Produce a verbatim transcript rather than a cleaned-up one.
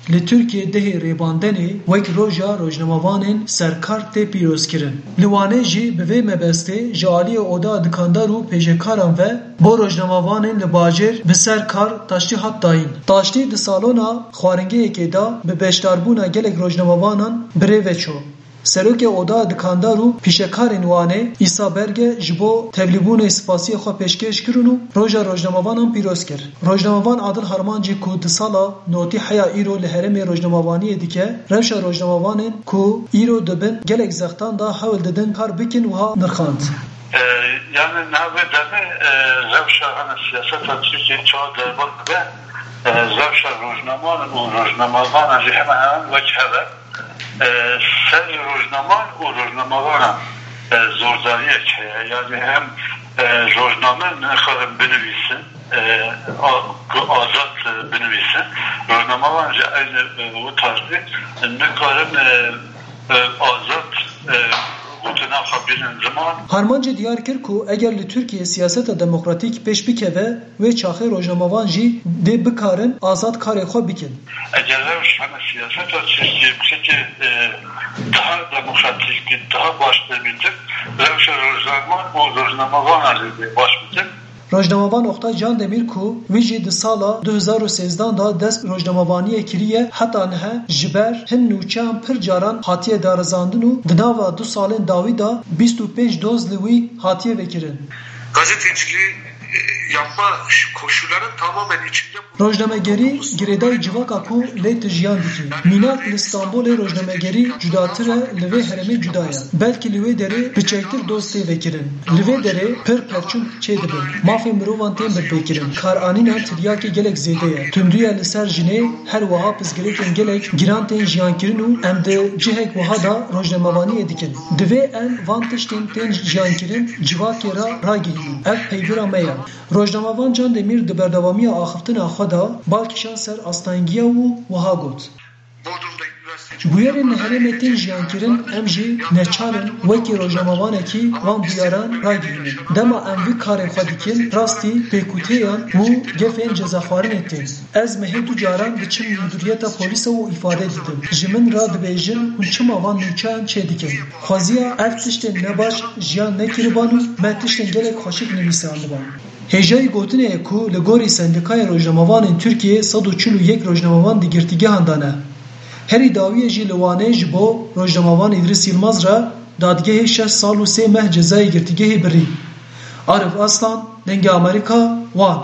Li Tirkiyê dehê Rêbandenê wek Roja Rojnamevanên Serkar tê pîrozkirin. Li Wanê jî bi vê mebestê ji aliyê Oda Dikandar û pêşekaran ve bo rojnamevanên li bajêr bi ser kar taştî hat dayîn. Taştî di salona xwaringehekê de bi beşdarbûna gelek rojnamevanan bi rê ve çû. Serokê Oda Dikandar û pîşekarên Wanê Îsa Berge ji bo tevlîbûnê spasiyê xwe pêşkêş kirin û Roja Rojnamevanan pîroz kir. Rojnamevan Adil Harmancî ku di sala notî heya îro li herêmê rojnamevaniyê dike, rewşa rojnamevanên ku îro dibin gelek zextan da hewl didin kar bikin wiha nirxand. E, yani niha vê demê, e, rewşa hene siyaseta Tirkiyê çawa derbas dibe, e, rewşa rojnamevan û rojnamevanan jî hemen hemen wek hev e. E, serê rojnamevan û rojnamevanan, e, zordariyek heye. Yani hem, e, rojname nikarin binivîsin, e, a-, ku azad, e, binivîsin. Rojnamevan jî eynî, e, wî tarzî nikarin, e, e, azad, e, gotina xwe bînin ziman. Harmancê diyar kir ku eger li Tirkiyê siyaseta demokratîk pêş bikeve, wê çaxê rojnamevan jî dê bikarin azad karê xwe bikin. Eger rewş hene siyaseta Tirkiyê bişekê, e, daha demokratîk, daha baş tê bitin, rewşa rojnamevan û rojnamevanan jî dê baş bitin. Rojnamevan Oktay Candemîr ku wî jî di sala du hezar û sêzdehan de dest rojnamevaniyê kiriye, heta niha ji ber hin nûçeyan pir caran hatiye darizandin û di nava du salên dawî de bîst û pênc doz li wî hatiye vekirin. Gazeteciliği, e, yapma koşulların tamamen içinde Rojnamegerî girêdayî civaka ku lê tu jiyan dikî. Mînak li Stenbolê rojnamegerî cudatir e, li vê herêmê cuda ye. Belkî li wê derê piçektir doz tê vekirin. Li vê derê pir perçûn çêdibin. Mafê mirovan tên binpêkirin. Karanîna tiryakê gelek zêde ye. Tundiya li ser jinê her wiha pirsgirêkên gelek giran tên jiyankirin û em di cihek wiha de rojnamevaniyê dikin. Divê em van tiştên tên jiyankirin civakê re ragihînin. Ev peywira me ye. Rojnamevan Can Demîr di berdewamiya axiftina xwe de bal kişand ser astengiya û wiha got, Bodrum'da üniversiteci Bûyerên li herêmê tên jiyankirin, em jî neçar in wekî rojnamevanekî van bûyeran ragihînin. Dema em vî karê xwe dikin, rastî pêkûtêyan û gefên cezaxwarinê tên. Ez mehê du caran diçim mudûriyeta polîsa û îfade didim. Ji min re dibêjin hûn çima van nûçeyan çêdikin. Xweziya ev tiştên nebaş jiyan nekiriban û me tiştên gelek xweşik nivîsandiban. Hêjayî gotinê ye ku li gorî Sendîkaya Rojnamevanên Tirkiyê sed û çil û yek rojnamevan di girtîgehan de ne. Herî dawiyê jî li Wanê ji bo rojnamevan Îdrîs Yilmaz re dadgehê şeş sal û sê meh cezayê girtîgehê birî. Arif Aslan, Dengê Amerîka, Wan.